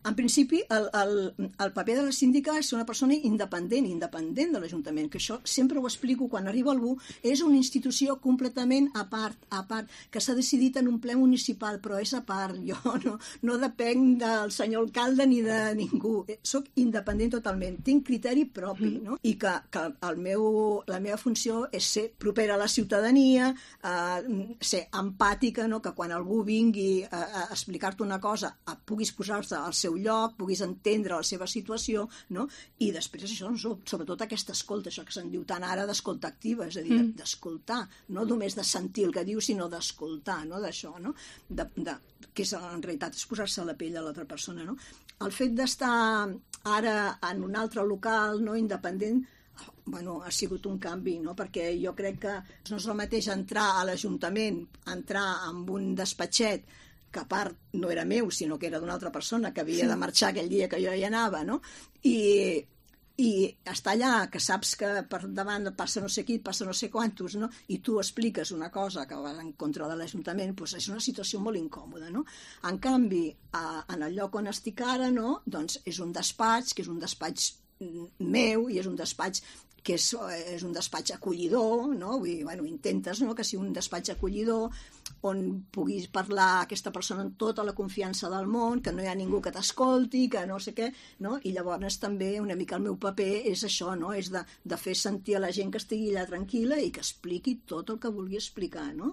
En principi, el paper de la síndica és una persona independent de l'Ajuntament, que això sempre ho explico quan arriba algú, és una institució completament a part, que s'ha decidit en un ple municipal, però és a part, jo no depenc del senyor alcalde ni de ningú, soc independent totalment, tinc criteri propi, no? I que la meva funció és ser propera a la ciutadania, ser empàtica, no? Que quan algú vingui a explicar-te una cosa puguis posar-te al seu lloc, puguis entendre la seva situació, no? I després això, sobretot aquesta escolta, això que se'n diu tant ara d'escolta activa, és a dir, d'escoltar, no només de sentir el que diu, sinó d'escoltar, no? D'això, no? Que és, en realitat és posar-se a la pell de l'altra persona, no? El fet d'estar ara en un altre local, no, independent, ha sigut un canvi, no? Perquè jo crec que no és el mateix entrar a l'Ajuntament, entrar en un despatxet que a part no era meu, sinó que era d'una altra persona que havia de marxar aquell dia que jo hi anava, no? I estar allà, que saps que per davant passa no sé qui, passa no sé quantos, no? I tu expliques una cosa que va en contra de l'Ajuntament, doncs és una situació molt incòmoda, no? En canvi, en el lloc on estic ara, no? Doncs és un despatx, que és un despatx meu, i és un despatx que és un despatx acollidor, no? Vull dir, intentes, no?, que sigui un despatx acollidor on puguis parlar a aquesta persona amb tota la confiança del món, que no hi ha ningú que t'escolti, que no sé què, no? I llavors també una mica el meu paper és això, no? És de fer sentir a la gent que estigui allà tranquil·la i que expliqui tot el que vulgui explicar, no?